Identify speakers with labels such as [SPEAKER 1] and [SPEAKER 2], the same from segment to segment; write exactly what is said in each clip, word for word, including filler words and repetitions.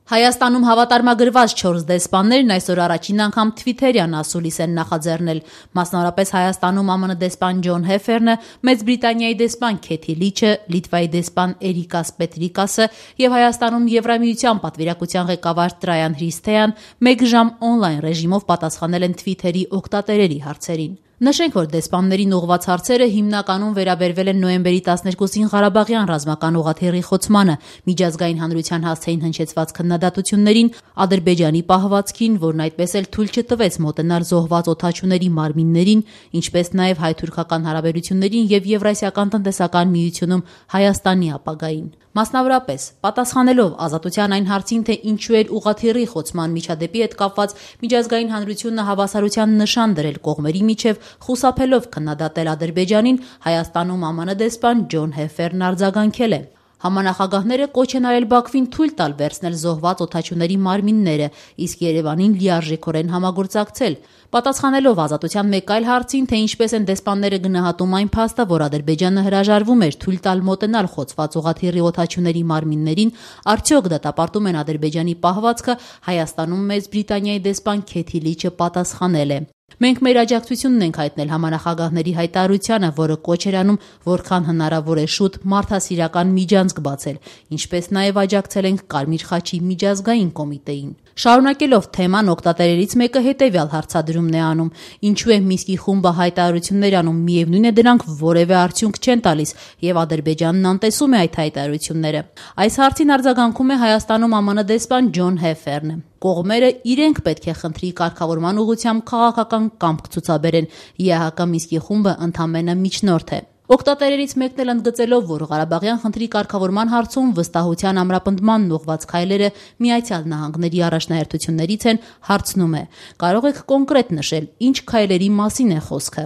[SPEAKER 1] Հայաստանում հավատարմագրված չորս դեսպաններն այսօր առաջին անգամ թվիթերյան ասուլիս են նախաձեռնել։ Մասնավորապես Հայաստանում ԱՄՆ դեսպան Ջոն Հեֆերնը, Մեծ Բրիտանիայի դեսպան Քեթի Լիչը, Լիտվայի դեսպան Էրիկաս Պետրիկասը եւ Հայաստանում Եվրամիության պատվիրակության ղեկավար Տրայան Հրիսթեան մեկ ժամ օնլայն ռեժիմով պատասխանել են Թվիթերի օգտատերերի հարցերին։ Նշենք, որ դեսպաններին ուղղված հարցերը հիմնականում վերաբերվել են նոյեմբերի տասներկուսին Ղարաբաղյան ռազմական ուղղաթիռի խոցմանը, միջազգային հանրության հասցեին հնչեցված քննադատություններին, Ադրբեջանի պահվածքին, որն այդպես էլ թույլ չտվեց մոտենալ զոհված օդաչուների մարմիններին, ինչպես նաև հայ-թուրքական հարաբերություններին եւ Եվրասիական տնտեսական միությունում Հայաստանի ապագային։ Մասնավորապես, պատասխանելով ազատության այն հարցին, թե ինչու էր ուղղաթիռի խոցման միջադեպի հետ կապված միջազգային հանրությունը հավասարության նշան դրել կողմերի միջև, խուսափելով քննադատել Ադրբեջանին, Հայաստանում ԱՄՆ դեսպան Ջոն Հեֆերն արձագանքել է. Համանախագահները կոչ են արել Բաքվին թույլ տալ վերցնել զոհված օդաչուների մարմինները, իսկ Երևանին լիարժեքորեն համագործակցել։ Պատասխանելով ազատության մեկ այլ հարցին, թե ինչպես են դեսպանները գնահատում այն փաստը, որ Ադրբեջանը հրաժարվում էր թույլ տալ մոտենալ խոցված ուղղաթիռի օդաչուների մարմիններին, արդյոք դատապարտում են Ադրբեջանի պահվածքը, Հայաստանում Մեծ Բրիտանիայի դեսպան Քեթի Լիչը պատասխանել է. Մենք մեր աջակցությունն ենք հայտնել համանախագահների հայտարարությանը, որը կոչ էր անում որքան հնարավոր է շուտ մարդասիրական միջանցք բացել, ինչպես նաև աջակցել ենք Կարմիր խաչի միջազգային կոմիտեին։ Շարունակելով թեման, օգտատերերից մեկը հետևյալ հարցադրումն է անում. ինչու է Մինսկի խումբը հայտարարություններ անում, միևնույն է դրանք որևէ արդյունք չեն տալիս, եւ Ադրբեջանն անտեսում է այդ հայտարարությունները։ Այս հարցին արձագանքում է Հայաստանում ԱՄՆ դեսպան Ջոն Հեֆերնը. Կողմերը իրենք պետք է խնդրի կարգավորման ուղղությամբ քաղաքական կամք ցուցաբերեն, ԵԱՀԿ Մինսկի խումբը ընդամենը միջնորդ է։ Օգտատերերից մեկն էլ ընդգծելով, որ Ղարաբաղյան խնդրի կարգավորման հարցում վստահության ամրապնդմանն ուղղված քայլերը Միացյալ Նահանգների առաջնահերթություններից են, հարցնում է. կարող եք կոնկրետ նշել, ինչ քայլերի մասին է խոսքը։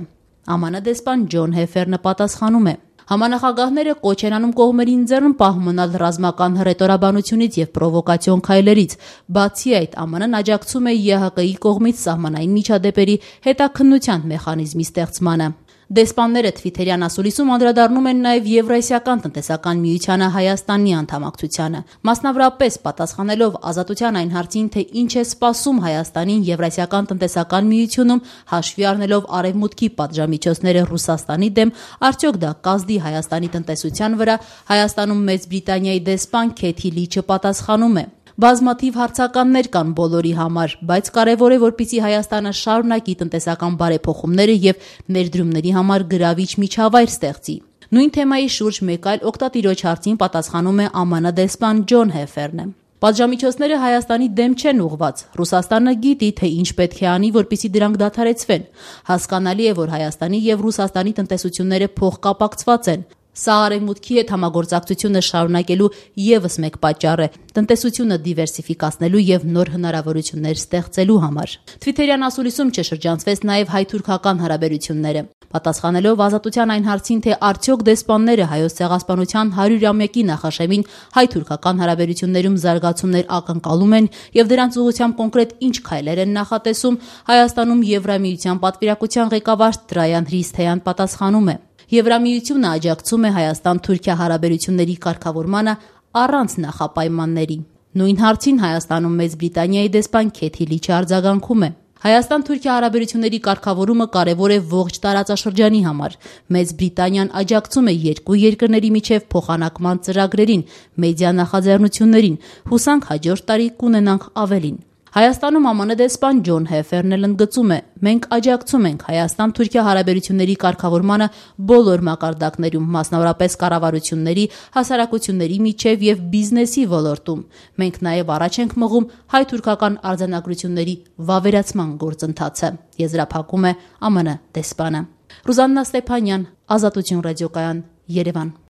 [SPEAKER 1] ԱՄՆ դեսպան Ջոն Հեֆերնը պատասխանում է. Համանախագահները կոչ են անում կողմերին ձեռն պահ մնալ ռազմական հռետորաբանությունից եւ պրովոկացիոն քայլերից։ Բացի այդ, ԱՄՆ-ն աջակցում է ԵԱՀԿ-ի կողմից սահմանային միջադեպերի հետաքննության մեխանիզմի ստեղծմանը։ Դեսպանները Թվիթերյան ասուլիսում անդրադառնում են նաև Եվրասիական տնտեսական միությանը Հայաստանի անդամակցությանը։ Մասնավորապես, պատասխանելով ազատության այն հարցին, թե ինչ է սպասում Հայաստանին Եվրասիական տնտեսական միությունում, հաշվի առնելով արևմուտքի պատժամիջոցները Ռուսաստանի դեմ, արդյոք դա կազդի Հայաստանի տնտեսության վրա, Հայաստանում Մեծ Բրիտանիայի դեսպան Քեթի Լիչը պատասխանում է. Բազմաթիվ հարցականներ կան բոլորի համար, բայց կարևոր է, որպեսզի Հայաստանը շարունակի տնտեսական բարեփոխումները եւ ներդրումների համար գրավիչ միջավայր ստեղծի։ Նույն թեմայի շուրջ մեկ այլ օգտատիրոջ հարցին պատասխանում է ԱՄՆ դեսպան Ջոն Հեֆերնը. Պատժամիջոցները Հայաստանի դեմ չեն ուղղված։ Ռուսաստանը գիտի, թե ինչ պետք է անի, որպեսզի դրանք դադարեցվեն։ Հասկանալի է, որ Հայաստանի եւ Ռուսաստանի տնտեսությունները փոխկապակցված են։ Սա արևմուտքի հետ համագործակցությունը շարունակելու եւս մեկ պատճառ է՝ տնտեսությունը դիվերսիֆիկացնելու եւ նոր հնարավորություններ ստեղծելու համար։ Թվիթերյան ասուլիսում չշրջանցվեց նաեւ հայ-թուրքական հարաբերությունները։ Պատասխանելով ազատության այն հարցին, թե արդյոք դեսպանները Հայոց ցեղասպանության հարյուրամյակի նախաշեմին հայ-թուրքական հարաբերություններում զարգացումներ ակնկալում են եւ դրանց ուղղությամբ կոնկրետ ինչ քայլեր են նախատեսում, Հայաստանում Եվրամիության պատվիրակության ղեկավար Տրայան Հրիսթեան պատասխանում է. Եվրամիությունը աջակցում է Հայաստան-Թուրքիա հարաբերությունների կարգավորմանը առանց նախապայմանների։ Նույն հարցին Հայաստանում Մեծ Բրիտանիայի դեսպան Քեթի Լիչը արձագանքում է. Հայաստան-Թուրքիա հարաբերությունների կարգավորումը կարևոր է ողջ տարածաշրջանի համար։ Մեծ Բրիտանիան աջակցում է երկու երկրների միջև փոխանակման ծրագրերին, մեդիա նախաձեռնություններին։ Հուսանք հաջորդ տարի կունենանք ավելին։ Հայաստանում ԱՄՆ դեսպան Ջոն Հեֆերն էլ ընդգծում է. մենք աջակցում ենք Հայաստան-Թուրքիա հարաբերությունների կարգավորմանը բոլոր մակարդակներում, մասնավորապես կառավարությունների, հասարակությունների միջև եւ բիզնեսի ոլորտում։ Մենք նաեւ առաջ ենք մղում հայ-թուրքական արձանագրությունների վավերացման գործընթացը, եզրափակում է ԱՄՆ դեսպանը։ Ռուզաննա Ստեփանյան, Ազատություն ռադիոկայան, Երևան։